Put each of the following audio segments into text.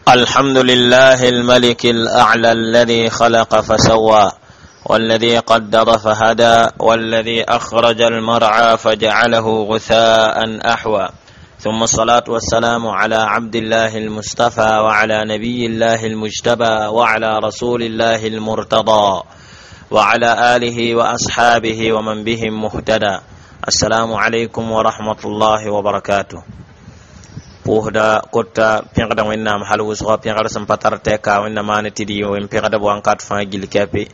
الحمد لله الملك الأعلى الذي خلق فسوى والذي قدر فهدى والذي أخرج المرعى فجعله غثاء أحوى ثم الصلاة والسلام على عبد الله المصطفى وعلى نبي الله المجتبى وعلى رسول الله المرتضى وعلى آله وأصحابه ومن بهم مهتدى. السلام عليكم ورحمة الله وبركاته. Pʋʋsda kota pẽgda Wẽnnaam hal wʋsga pẽgr sẽn pa tar tɛka Wẽnna maan tɩ d yɩ wẽn pẽgdb wãnkat fãa gill kɛpe.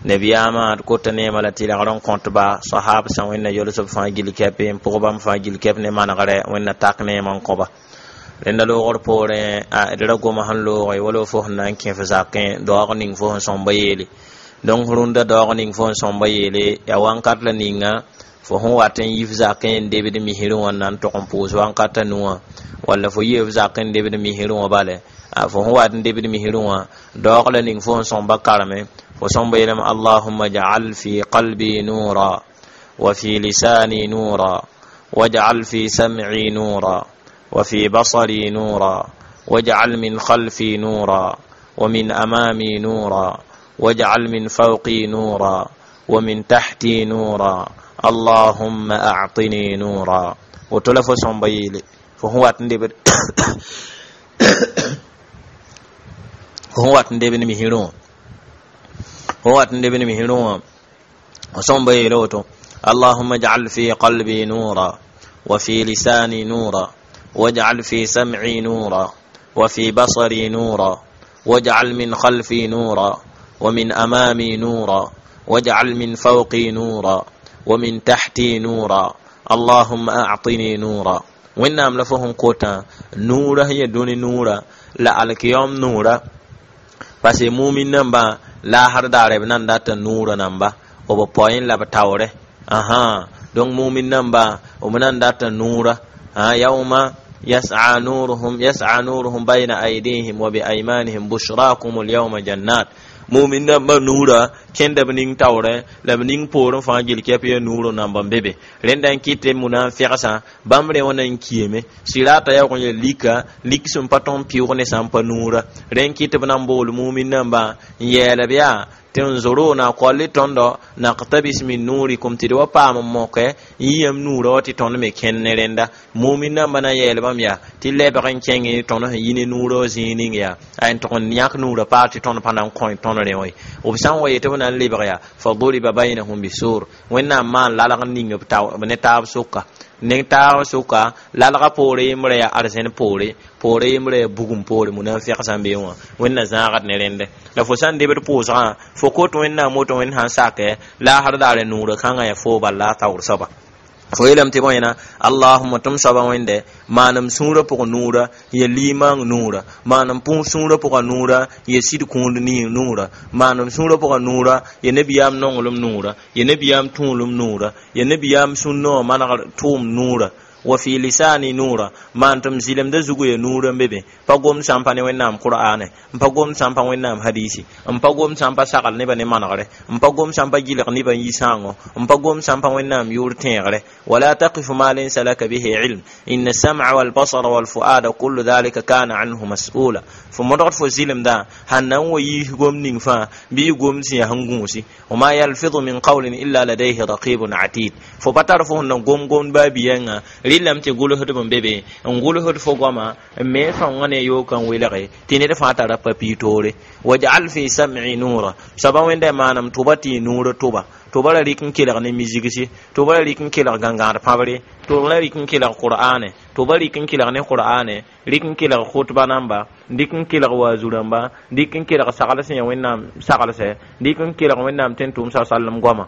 Nabiyaamã d kota neema la tɩrgr n kõtba sahab sã Wẽnna yolsb fãa gill kɛpe n pʋg bãmb fãa gill kɛp ne manegrɛ Wẽnna tak neema n kõba. Rẽnda loogr poorẽ d ra goma sẽn looge wala fo sẽn na n kẽ f zakẽ daoog ning fo sẽn sõmba yeele. Donc rũndã daoog ning fo sẽn sõmba yeele yaa wãnkat la ninga fo sẽn wat n yi f zakẽ n debd misrẽ wã n na n tog n pʋʋs wãnkat a nu wã walla fo yɩ f zakẽ n debd misrẽ wã bale fo sẽn wat n debd misrẽ wã daoog la ning fo sẽn sõmba kareme fo sõmba yeelame allahumma ja'al fi qalbi nura wa fi lisani nura waj'al fi sam'i nura wa fi basari nura waj'al min khalfi nura wa min amami nura waj'al min fawqi nura wa min tahti nura allahumma a'tini nura. Woto la fo sõmba yeele fo sẽn wat n debd fo sẽn wat n debd misrẽ wã fo wat n debd misrẽ wã fo sõmba yeele woto allahumma ij'al fi qalbi nura wa fi lisani nura waj'al fi sam'i nura wa fi basari nura waj'al min khalfi nura wa min amami nura waj'al min fawqi nura wa min tahti nura allahumma a'tini nura. Wẽnnaam la fo sẽn kotã nuurã sẽn yaa dũni nuurã la alkiyom nuurã parce que mumin nambã laasr daare b nan data nuurã namba b poẽ la b taoore ãhã. Donc mumin nambã b nan data nuurã yawma yas'a nuruhum yas'a nuruhum bayna aydihim wa bi aymanihim bushrakum al-yawma jannat. Mumin nambã nuurã kẽnda b ning taoorẽ la b ning poorẽ fãa gill kɛp yaa nuurã namba n be be. Rẽnda n kɩt tɩ munafɩgsã bãmb rẽ wã na n kiame sirata yaoog n yaa lika lik sẽn pa tõnd pɩʋg ne sã n pa nuurã rẽ n kɩt tɩ b na n bool mumin nambã n yɛɛla b yaa tɩ n zoro na koal tõndo naqtabis min nurikum tɩ d wa paam n moke n yiyam nuurã wa tɩ tõnd me kẽnd ne rẽnda mumin nambã na n yɛɛl bãmb yaa tɩ lebg n kẽng tõnd sẽn yi ne nuurã wã zĩig ning yaa a n tʋg n yãk nuurã paal tɩ tõnd pa na n kõ tõnd rẽ wã ye. B sã n wa yetɩ b na n lebg yaa fa duriba baynahum bisur Wẽnnaam maan lalg n ning b ne taab sʋka ne taab sʋka lalga poore yembrã yaa arzẽn poore poore yembrã yaa bugum poore munafɩg sã n bee wã Wẽnna zãagd ne rẽndɛ la fo sã n debd pʋʋsgã fo kot Wẽnnaam woto Wẽnd sã n sakɛ laasr daare nuurã kãngã yaa foo bal la a taoor soaba fo yeelame tɩ bõe allahumma tɩ m soaba Wẽnde maanem sũurã pʋgẽ nuurã ya limaang nuurã maanem sũurã pʋgã nuurã ya sɩd kũud nuurã maanem sũurã pʋgã nuurã ya nabiyaam nonglem nuurã ya nabiyaam tũulem nuurã ya nabiyaam sũnnã wã manegr tʋʋm nuurã wa fi lisani nuura maan tɩ m zɩlemdã zugu ya nuurã n be be pa gomd sã n pa ne Wẽnnaam qur'ane n pa gomd sã n pa Wẽnnaam hadisi n pa gomd sã n pa sagl nebã ne manegre n pa gomd sã n pa gilg nebã n yi sãango n pa gomd sã n pa Wẽnnaam yʋʋr tẽegre. Wala taqifu ma laysa laka bihi ilm inna as-sam'a wal basara wal fu'ada kullu dhalika kana anhu mas'ula. Fo modgd fo zɩlemdã sãn na n wa yiis gom ning fãa bɩ y gomd sẽn yaa sẽn gũusi wa ma yalfidu min qawlin illa ladayhi raqibun atid. Fo pa tar fo sẽn na gom gomd baa biyãnga rɩlame tɩ gʋlsdb n be be n gʋlsd fo goama n me sõngã ne yookã n welge tɩ ned fãa tara papi toore. Waj'al fi sam'i nuura soaba Wẽnda maanam tʋba tɩ y nuurã tʋba tʋba ra rɩk n kelg ne mizigsi tʋba ra rɩk n kelg gãngãad pãbre tʋba ra rɩk n kelg qur'ane tʋba rɩk n kelg ne qur'ane rɩk n kelg khutba namba rɩk n kelg waazu rãmba rɩk n kelg sagl sẽn yaa Wẽnnaam saglsɛ rɩk n kelg Wẽnnaam tẽn tʋʋm sa salem goama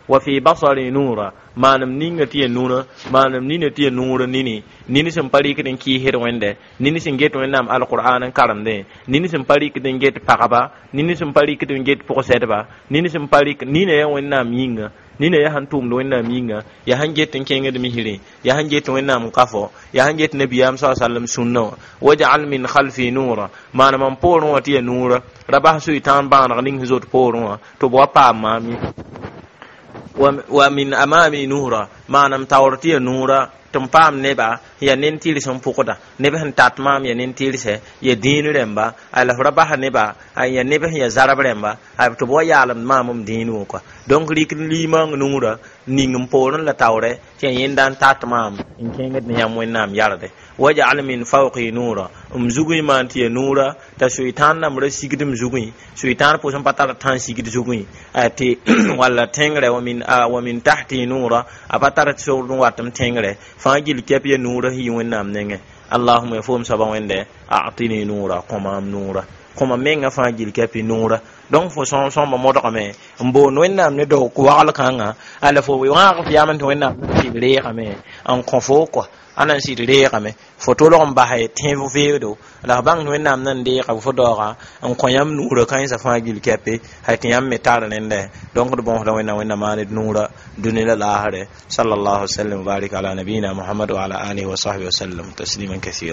wa fi basari nuura maanem ninga tɩ ya nurã maanem nina tɩ ya nuurã nini nini sẽn pa rɩkd n kɩɩsd Wẽnde nini sẽn get Wẽnnaam alqur'an n karemdẽ nini sẽn pa rɩkd n get pagba nini sẽn pa rɩkd n get pʋgsɛdba nini sẽn pa rɩk nina yaa Wẽnnaam yĩnga nina yaa sẽn tʋʋmd Wẽnnaam yĩnga yaa sẽn get n kẽngd misrẽ yaa sẽn get Wẽnnaam n ka fo yaa sẽn get nabiyaam sa sallam sũnnã wã waj'al min khalfi nuura maanem n poorẽ wã tɩ ya nuurã ra bas sʋɩ-tãan bãaneg ning sẽn zot poorẽ wã tɩ b wa paam maam ye wa min amami nuura maanem taoor tɩ ya nuura Tɩ m paam neba ya nen-tɩrs n pʋgda, neb sẽn tat maam ya nen-tɩrse, ya dĩin rẽmba, la f ra basa neba ya neb sẽn ya zarb rẽmba, tɩ b wa yaalemd maam m dĩin wã kɔa. Donc rɩk limaang nuurã ning n poorẽ la taoorɛ tɩ yaa yẽnda n tat maam n kẽngd ne yãmb Wẽnnaam yarde. Wajal min fawqi nuura, m zugẽ maan tɩ ya nuura t'a soetãan nambra sigd m zugẽ, soetãan pʋsẽ pa tar tã n sigd zugẽ tɩ walla tẽngrɛ. Wa min tahti nuura, a pa tar sogd n wat m tẽngrɛ fãa gill kɛp ya nuurã sẽn yi Wẽnnaam nengẽ. Allahuma, ya foom soaba Wẽnde, atini nuura, kõ maam nuura, kõ mam menga fãa gill kɛpɩ nuura. Donc fo sõamba modgame n boond Wẽnnaam ne daook wagl kãnga, ala fo wãag f yam tɩ Wẽnnaam na sɩd reegame n kõ fo kɔa, a na n sɩd reegame fo tolg n basa tẽeb veedo, la f bãng tɩ Wẽnnaam nan deega fo daooga n kõ yãmb nuurã kãensã fãa gill kɛpe hay tɩ yãmb me tar rẽndɛ. Donc d bõosda Wẽnnaam, Wẽnnaam maan d nuurã dũni la laasrɛ. Sallallahu sallam wa barik ala nabiyina Muhammad wa ala alihi wa sahbihi wa sallam tasliman kathira.